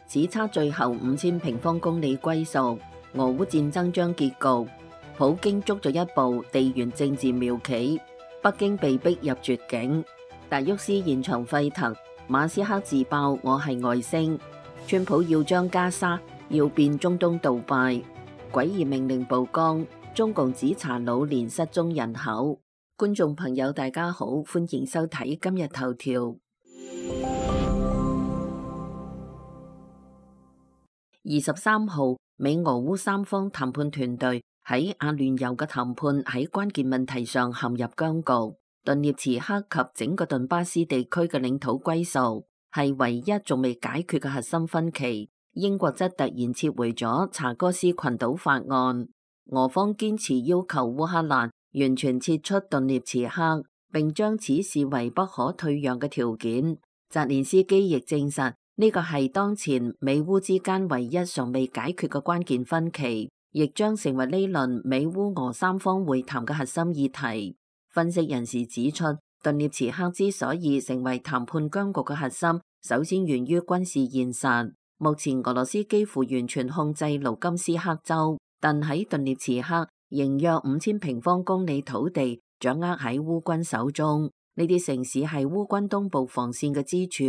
只差最後5000平方公里歸屬，俄烏戰爭將結局。普京捉咗一步地緣政治妙棋，北京被逼入絕境。達沃斯現場沸騰，馬斯克自爆我係外星。川普要將加沙要變中東杜拜，詭異命令曝光，中共指查老年失蹤人口。觀眾朋友大家好，歡迎收睇今日頭條。23號，美俄烏三方談判團隊喺阿聯酋嘅談判喺關鍵問題上陷入僵局。頓涅茨克及整個頓巴斯地區嘅領土歸屬係唯一仲未解決嘅核心分歧。英國則突然撤回咗查戈斯群島法案。俄方堅持要求烏克蘭完全撤出頓涅茨克，並將此視為不可退讓嘅條件。澤連斯基亦證實呢個係當前美烏之間唯一尚未解決嘅關鍵分歧，亦將成為呢輪美烏俄三方會談嘅核心議題。分析人士指出，頓涅茨克之所以成為談判僵局嘅核心，首先源於軍事現實。目前俄羅斯幾乎完全控制盧甘斯克州，但喺頓涅茨克仍約5000平方公里土地掌握喺烏軍手中。呢啲城市係烏軍東部防線嘅支柱，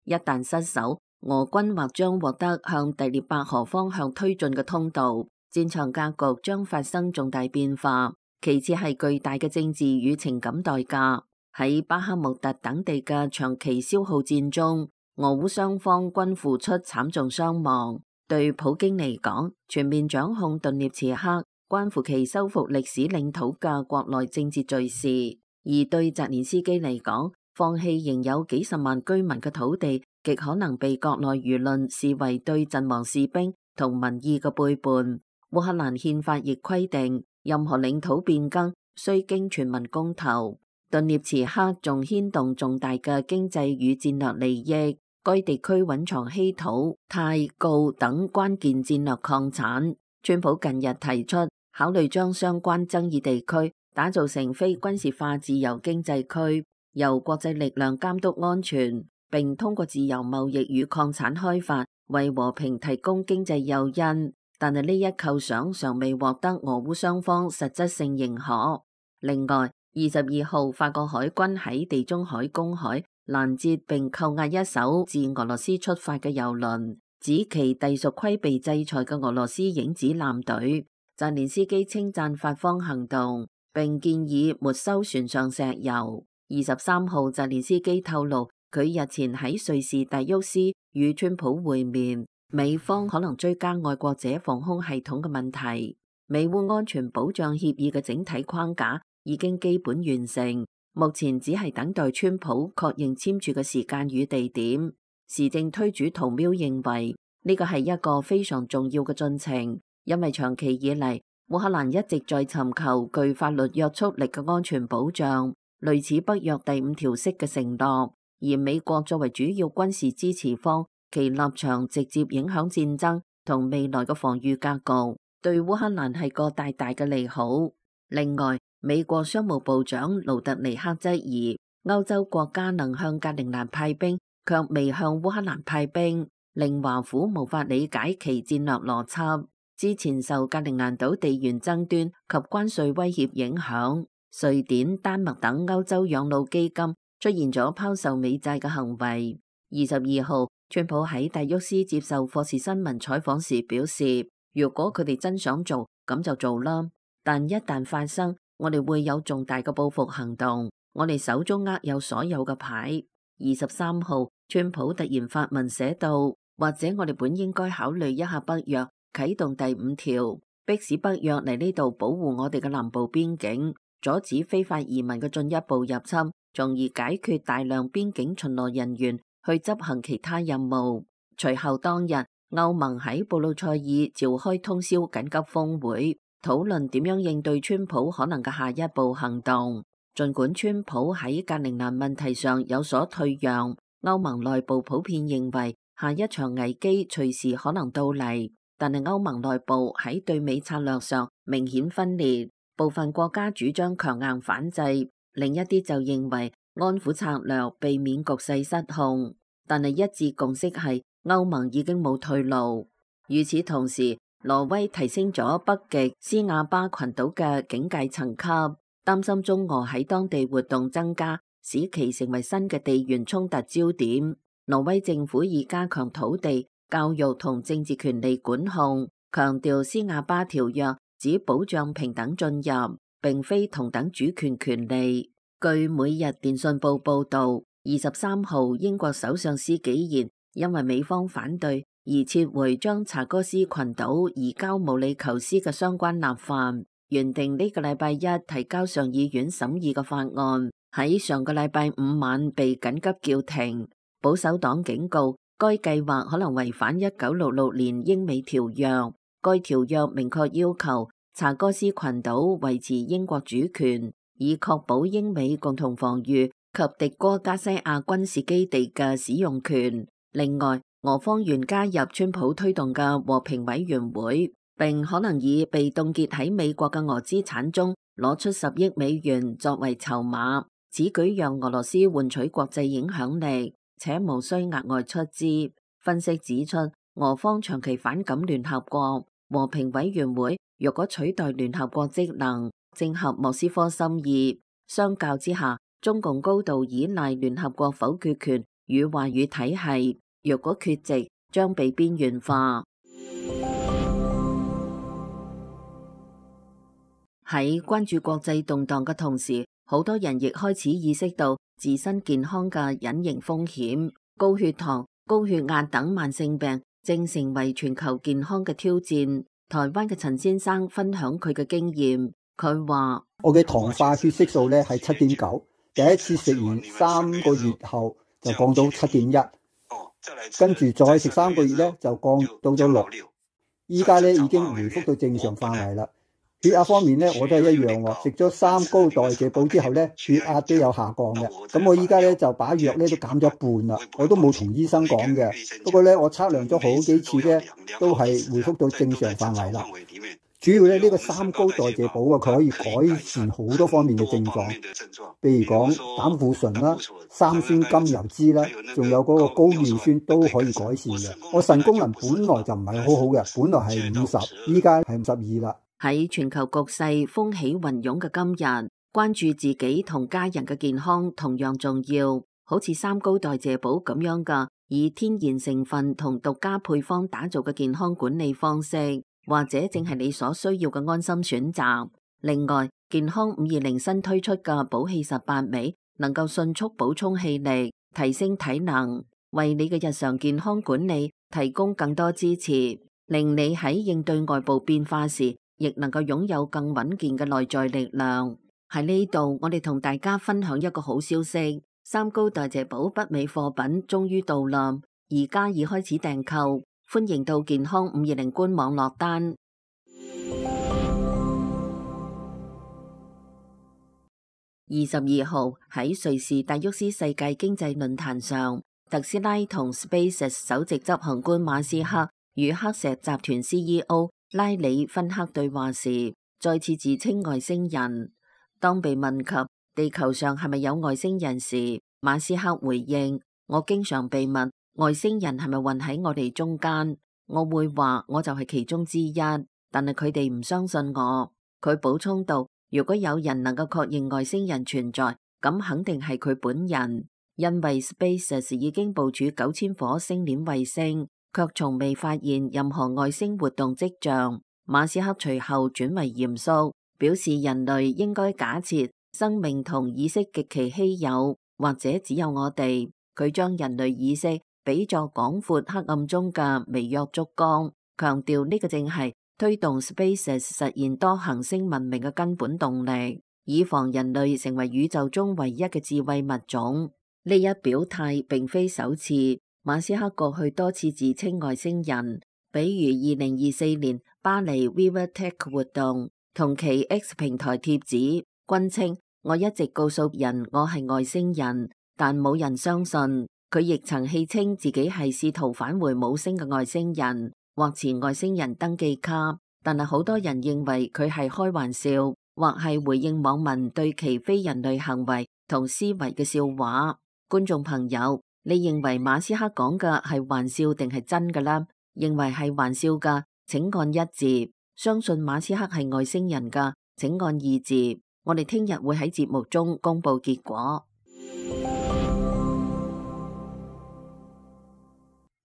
一旦失守，俄軍或將獲得向第聶伯河方向推進嘅通道，戰場格局將發生重大變化。其次係巨大嘅政治與情感代價。喺巴克穆特等地嘅長期消耗戰中，俄烏雙方均付出慘重傷亡。對普京嚟講，全面掌控頓涅茨克關乎其收復歷史領土嘅國內政治敘事；而對澤連斯基嚟講，放棄仍有幾十萬居民嘅土地，極可能被國內輿論視為對陣亡士兵同民意嘅背叛。烏克蘭憲法亦規定，任何領土變更需經全民公投。頓涅茨克仲牽動重大嘅經濟與戰略利益，該地區蘊藏稀土、鈦、鋯等關鍵戰略礦產。川普近日提出考慮將相關爭議地區打造成非軍事化自由經濟區，由國際力量監督安全，並通過自由貿易與礦產開發為和平提供經濟誘因。但係呢一構想尚未獲得俄烏雙方實質性認可。另外，22號法國海軍喺地中海公海攔截並扣押一艘自俄羅斯出發嘅油輪，指其隸屬規避制裁嘅俄羅斯影子艦隊。澤連斯基稱讚法方行動，並建議沒收船上石油。23號，澤連斯基透露佢日前喺瑞士達沃斯與川普會面。美方可能追加愛國者防空系統嘅問題。美烏安全保障協議嘅整體框架已經基本完成，目前只係等待川普確認簽署嘅時間與地點。時政推主圖喵認為呢個係一個非常重要嘅進程，因為長期以嚟烏克蘭一直在尋求具法律約束力嘅安全保障，類似北約第5條式嘅承諾。而美國作為主要軍事支持方，其立場直接影響戰爭同未來嘅防禦格局，對烏克蘭係個大大嘅利好。另外，美國商務部長盧特尼克質疑歐洲國家能向格陵蘭派兵，卻未向烏克蘭派兵，令華府無法理解其戰略邏輯。之前受格陵蘭島地緣爭端及關稅威脅影響，瑞典、丹麥等歐洲養老基金出現咗拋售美債嘅行為。22號，川普喺達沃斯接受霍士新聞採訪時表示，如果佢哋真想做，咁就做啦。但一旦發生，我哋會有重大嘅報復行動。我哋手中握有所有嘅牌。23號，川普突然發文寫道，或者我哋本應該考慮一下北約啟動第5條，迫使北約嚟呢度保護我哋嘅南部邊境，阻止非法移民嘅進一步入侵，從而解決大量邊境巡邏人員去執行其他任務。隨後當日，歐盟喺布魯塞爾召開通宵緊急峰會，討論點樣應對川普可能嘅下一步行動。儘管川普喺格陵蘭問題上有所退讓，歐盟內部普遍認為下一場危機隨時可能到嚟。但係歐盟內部喺對美策略上明顯分裂，部分國家主張強硬反制，另一啲就認為安撫策略避免局勢失控。但係一致共識係歐盟已經冇退路。與此同時，挪威提升咗北極斯瓦巴群島嘅警戒層級，擔心中俄喺當地活動增加，使其成為新嘅地緣衝突焦點。挪威政府以加強土地、教育同政治權利管控，強調斯瓦巴條約只保障平等進入，並非同等主權權利。據每日電訊報報道，23號英國首相施紀賢因為美方反對而撤回將查戈斯群島移交毛里求斯嘅相關立法，原定呢個禮拜一提交上議院審議嘅法案，喺上個禮拜五晚被緊急叫停。保守黨警告，該計劃可能違反1966年英美條約。該條約明確要求查戈斯群島維持英國主權，以確保英美共同防禦及迪戈加西亞軍事基地嘅使用權。另外，俄方願加入川普推動嘅和平委員會，並可能以被凍結喺美國嘅俄資產中攞出10億美元作為籌碼。此舉讓俄羅斯換取國際影響力，且無需額外出資。分析指出，俄方長期反感聯合國和平委員會，若果取代聯合國職能，正合莫斯科心意。相較之下，中共高度依賴聯合國否決權與話語體系，若果缺席，將被邊緣化。喺關注國際動盪嘅同時，好多人亦開始意識到自身健康嘅隱形風險，高血糖、高血壓等慢性病正成為全球健康嘅挑戰。台灣嘅陳先生分享佢嘅經驗，佢話：我嘅糖化血色素咧係7.9，第一次食完3個月後就降到7.1，跟住再食3個月咧就降到咗6，依家咧已經回復到正常範圍啦。血壓方面咧，我都係一樣喎。食咗3高代謝寶之後咧，血壓都有下降嘅。咁我依家咧就把藥咧都減咗一半啦。我都冇同醫生講嘅。不過咧，我測量咗好幾次咧，都係回復到正常範圍啦。主要咧呢個3高代謝寶啊，佢可以改善好多方面嘅症狀，譬如講膽固醇啦、三酸甘油酯啦，仲有嗰個高尿酸都可以改善嘅。我腎功能本來就唔係好好嘅，本來係50，依家係52啦。喺全球局勢風起雲湧嘅今日，關注自己同家人嘅健康同樣重要。好似3高代謝寶咁樣嘅以天然成分同獨家配方打造嘅健康管理方式，或者正係你所需要嘅安心選擇。另外，健康520新推出嘅寶氣18味，能夠迅速補充氣力，提升體能，為你嘅日常健康管理提供更多支持，令你喺應對外部變化時，亦能夠擁有更穩健嘅內在力量。喺呢度，我哋同大家分享一個好消息：3高代謝寶北美貨品終於到啦，而家已開始訂購，歡迎到健康520官網落單。22號喺瑞士達沃斯世界經濟論壇上，特斯拉同 SpaceX 首席執行官馬斯克與黑石集團 CEO拉里芬克對話時，再次自稱外星人。當被問及地球上係咪有外星人時，馬斯克回應：我經常被問外星人係咪混喺我哋中間，我會話我就係其中之一，但係佢哋唔相信我。佢補充道：如果有人能夠確認外星人存在，咁肯定係佢本人，因為 SpaceX 已經部署9000顆星鏈衛星，卻從未發現任何外星活動跡象。馬斯克隨後轉為嚴肅，表示人類應該假設生命同意識極其稀有，或者只有我哋。佢將人類意識比作廣闊黑暗中嘅微弱燭光，強調呢個正係推動 SpaceX 實現多行星文明嘅根本動力，以防人類成為宇宙中唯一嘅智慧物種。呢一表態並非首次。馬斯克過去多次自稱外星人，比如2024年巴黎 Viva Tech 活動，同其 X 平台貼紙，均稱我一直告訴人我係外星人，但冇人相信。佢亦曾戲稱自己係試圖返回母星嘅外星人，或持外星人登記卡，但係好多人認為佢係開玩笑，或係回應網民對其非人類行為同思維嘅笑話。觀眾朋友，你認為馬斯克講嘅係玩笑定係真㗎啦？認為係玩笑㗎，請按一字；相信馬斯克係外星人㗎，請按二字。我哋聽日會喺節目中公布結果。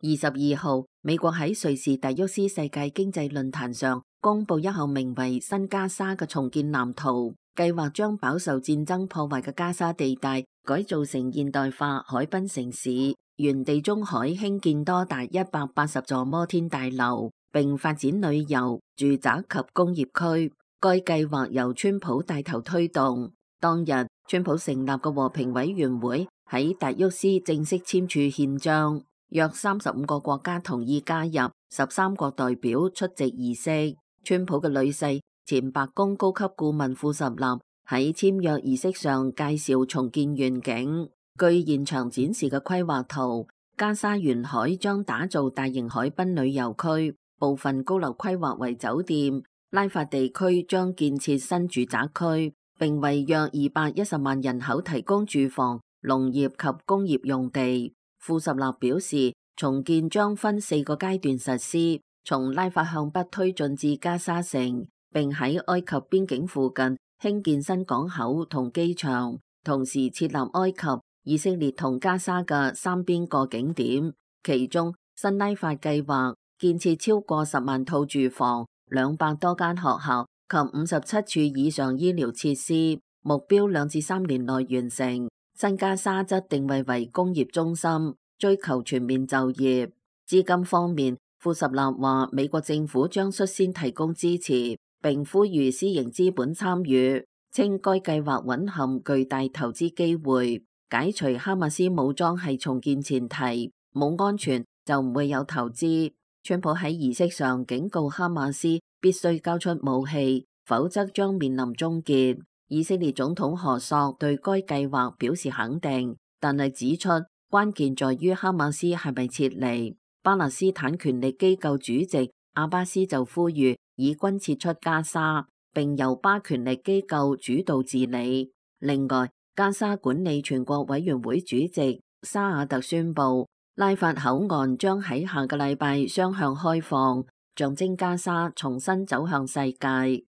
22號，美國喺瑞士達沃斯世界經濟論壇上公布一項名為新加沙嘅重建藍圖，計劃將飽受戰爭破壞嘅加沙地帶改造成現代化海濱城市，沿地中海興建多達180座摩天大樓，並發展旅遊、住宅及工業區。該計劃由川普帶頭推動。當日，川普成立嘅和平委員會喺達沃斯正式簽署憲章，約35個國家同意加入，13國代表出席儀式。川普嘅女婿前白宮高級顧問庫什納喺簽約儀式上介紹重建願景。據現場展示嘅規劃圖，加沙沿海將打造大型海濱旅遊區，部分高樓規劃為酒店。拉法地區將建設新住宅區，並為約210萬人口提供住房、農業及工業用地。庫什納表示，重建將分4個階段實施，從拉法向北推進至加沙城，並喺埃及邊境附近興建新港口同機場，同時設立埃及、以色列同加沙嘅3邊過境點。其中，新拉法計劃建設超過10萬套住房、200多間學校及57處以上醫療設施，目標2至3年內完成。新加沙則定位為工業中心，追求全面就業。資金方面，庫什納話美國政府將率先提供支持，並呼籲私營資本參與，稱該計劃蘊含巨大投資機會。解除哈馬斯武裝係重建前提，冇安全就唔會有投資。川普喺儀式上警告哈馬斯必須交出武器，否則將面臨終結。以色列總統何索對該計劃表示肯定，但係指出關鍵在於哈馬斯係咪撤離。巴勒斯坦權力機構主席阿巴斯就呼籲以軍撤出加沙，並由巴權力機構主導治理。另外，加沙管理全國委員會主席沙亞特宣布，拉法口岸將喺下個禮拜雙向開放，象徵加沙重新走向世界。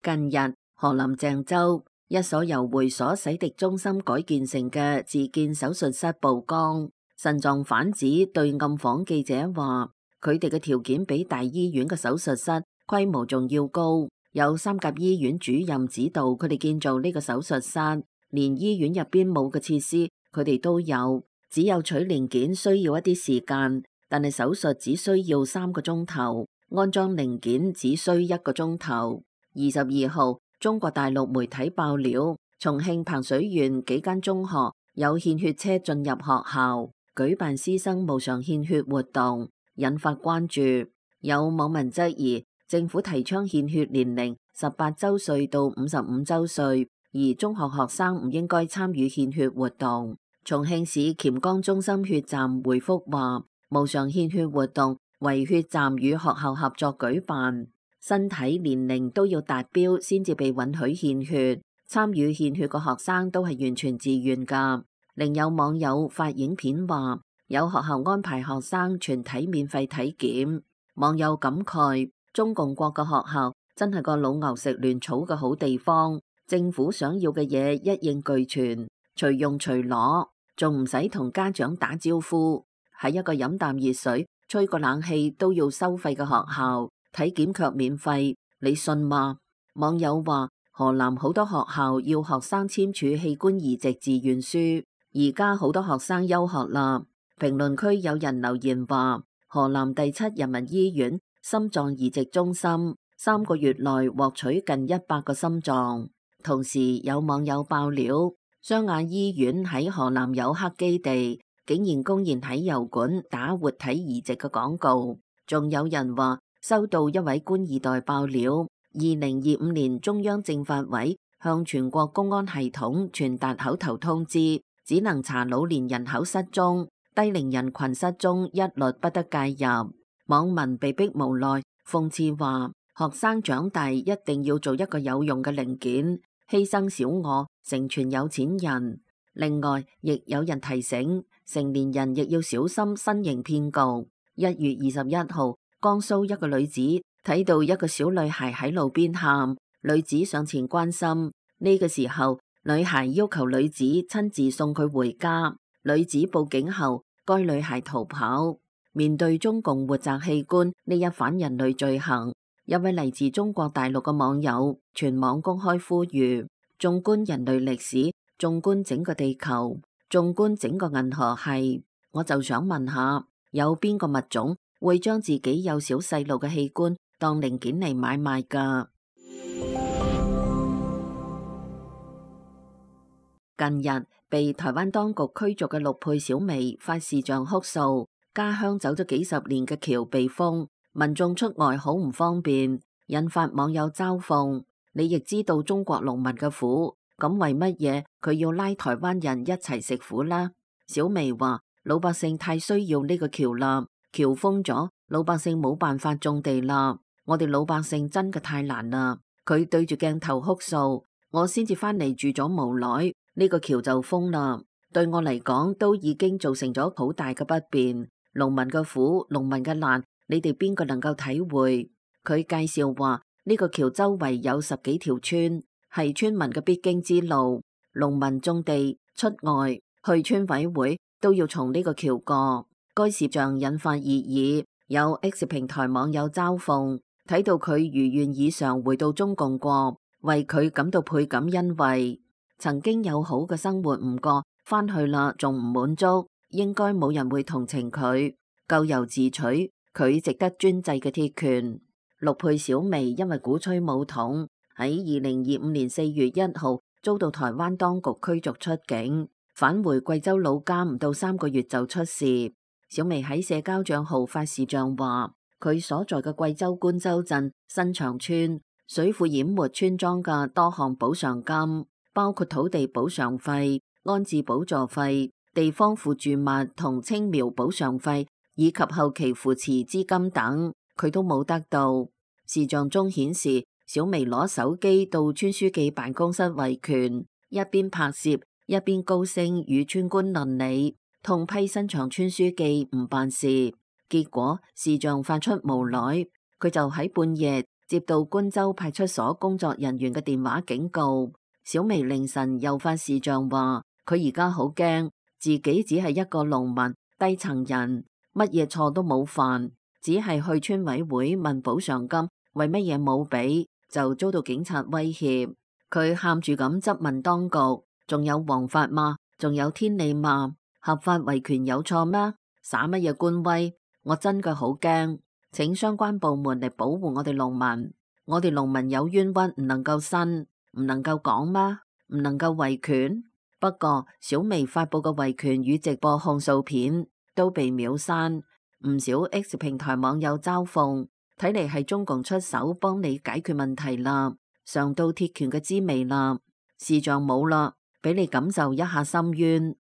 近日，河南鄭州一所由會所洗滌中心改建成嘅自建手術室曝光。腎臟販子對暗訪記者話，佢哋嘅條件比大醫院嘅手術室規模仲要高，有3甲醫院主任指導佢哋建造呢個手術室。連醫院入邊冇嘅設施，佢哋都有，只有取零件需要一啲時間，但係手術只需要3個鐘頭，安裝零件只需1個鐘頭。22號，中國大陸媒體爆料，重慶彭水縣幾間中學有獻血車進入學校，舉辦師生無償獻血活動，引發關注。有網民質疑，政府提倡獻血年齡18周歲到55周歲。而中學學生唔應該參與獻血活動。重慶市黔江中心血站回覆話，無償獻血活動為血站與學校合作舉辦，身體年齡都要達標先至被允許獻血。參與獻血嘅學生都係完全自願㗎。另有網友發影片話，有學校安排學生全體免費體檢。網友感慨，中共國嘅學校真係個老牛食嫩草嘅好地方。政府想要嘅嘢一應俱全，隨用隨攞，仲唔使同家長打招呼。喺一個飲啖熱水、吹個冷氣都要收費嘅學校，體檢卻免費，你信嗎？網友話，河南好多學校要學生簽署器官移植自願書，而家好多學生休學啦。評論區有人留言話，河南第7人民醫院心臟移植中心3個月內獲取近100個心臟。同時有網友爆料，湘雅醫院喺河南有黑基地，竟然公然喺油管打活體移植嘅廣告。仲有人話收到一位官二代爆料，2025年中央政法委向全國公安系統傳達口頭通知，只能查老年人口失蹤，低齡人群失蹤一律不得介入。網民被逼無奈，諷刺話，學生長大一定要做一個有用嘅零件，犧牲小我，成全有錢人。另外，亦有人提醒成年人亦要小心新型騙局。1月21號，江蘇一個女子睇到一個小女孩喺路邊喊，女子上前關心。呢個時候，女孩要求女子親自送佢回家。女子報警後，該女孩逃跑。面對中共活摘器官呢一反人類罪行，一位嚟自中國大陸嘅網友全網公開呼籲：縱觀人類歷史，縱觀整個地球，縱觀整個銀河系，我就想問下，有邊個物種會將自己幼小細路嘅器官當零件嚟買賣㗎？近日被台灣當局驅逐嘅陸配小薇發視像哭訴，家鄉走咗幾十年嘅橋被封，民眾出外好唔方便，引發網友嘲諷。你亦知道中國農民嘅苦，咁為乜嘢佢要拉台灣人一齊食苦啦？小薇話：老百姓太需要呢個橋啦，橋封咗，老百姓冇辦法種地啦。我哋老百姓真嘅太難啦。佢對住鏡頭哭訴：我先至返嚟住咗無耐，呢個橋就封啦。對我嚟講，都已經造成咗好大嘅不便。農民嘅苦，農民嘅難，你哋邊個能夠體會？佢介紹話：呢個橋周圍有10幾條村，係村民嘅必經之路。農民種地出外去村委會都要從呢個橋過。該視像引發熱議，有 X 平台網友嘲諷，睇到佢如願以償回到中共過，為佢感到倍感欣慰。曾經有好嘅生活唔過，返去啦仲唔滿足，應該冇人會同情佢。咎由自取，佢值得專制嘅鐵拳。陸配小薇因為鼓吹武統，喺2025年4月1號遭到台灣當局驅逐出境，返回貴州老家唔到3個月就出事。小薇喺社交賬號發視像話，佢所在嘅貴州官州鎮新場村水庫淹沒村莊嘅多項補償金，包括土地補償費、安置補助費、地方附住物同青苗補償費以及後期扶持資金等，佢都冇得到。視像中顯示，小薇攞手機到村書記辦公室維權，一邊拍攝一邊高聲與村官論理，痛批新場村書記唔辦事。結果視像發出無奈，佢就喺半夜接到官州派出所工作人員嘅電話警告。小薇凌晨又發視像話，佢而家好驚，自己只係一個農民低層人，乜嘢錯都冇犯，只係去村委會問補償金，為乜嘢冇俾，就遭到警察威脅。佢喊住咁質問當局，仲有王法嗎？仲有天理嗎？合法維權有錯咩？耍乜嘢官威？我真嘅好驚，請相關部門嚟保護我哋農民。我哋農民有冤屈唔能夠申，唔能夠講嗎？唔能夠維權？不過小薇發佈嘅維權與直播控訴片都被秒刪，唔少 X 平台網友嘲諷，睇嚟係中共出手幫你解決問題啦，嘗到鐵拳嘅滋味啦，視像冇啦，俾你感受一下深淵。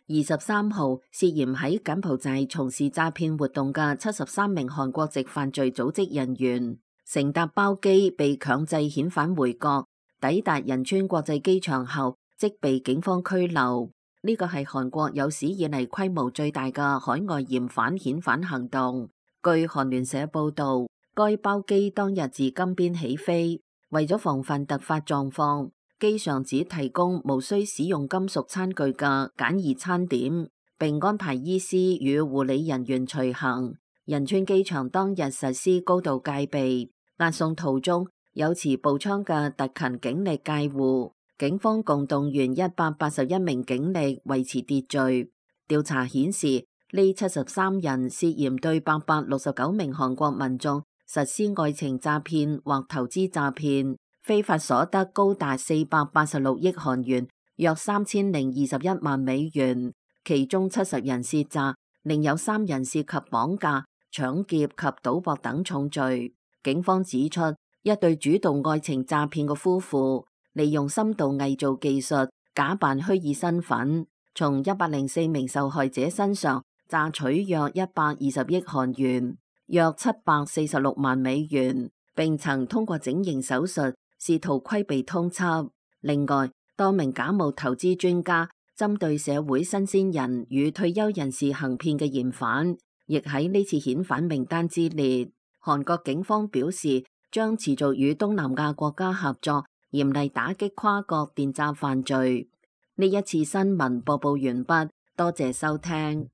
23號涉嫌喺柬埔寨從事詐騙活動嘅73名韓國籍犯罪組織人員，乘搭包機被強制遣返回國，抵達仁川國際機場後即被警方拘留。呢個係韓國有史以嚟規模最大嘅海外嫌犯遣返行動。據韓聯社報道，該包機當日自金邊起飛，為咗防範突發狀況，機上只提供無需使用金屬餐具嘅簡易餐點，並安排醫師與護理人員隨行。仁川機場當日實施高度戒備，押送途中有持步槍嘅特勤警力戒護，警方共動員181名警力維持秩序。調查顯示，呢73人涉嫌對869名韓國民眾實施愛情詐騙或投資詐騙，非法所得高達486億韓元，約3021萬美元。其中70人涉詐，另有3人涉及綁架、搶劫及賭博等重罪。警方指出，一對主動愛情詐騙嘅夫婦，利用深度偽造技術，假扮虛擬身份，從104名受害者身上詐取約120億韓元，約746萬美元，並曾通過整形手術試圖規避通緝。另外，多名假冒投資專家針對社會新鮮人與退休人士行騙嘅嫌犯，亦喺呢次遣返名單之列。韓國警方表示，將持續與東南亞國家合作，嚴厲打擊跨國電詐犯罪。呢一次新聞播報完畢，多謝收聽。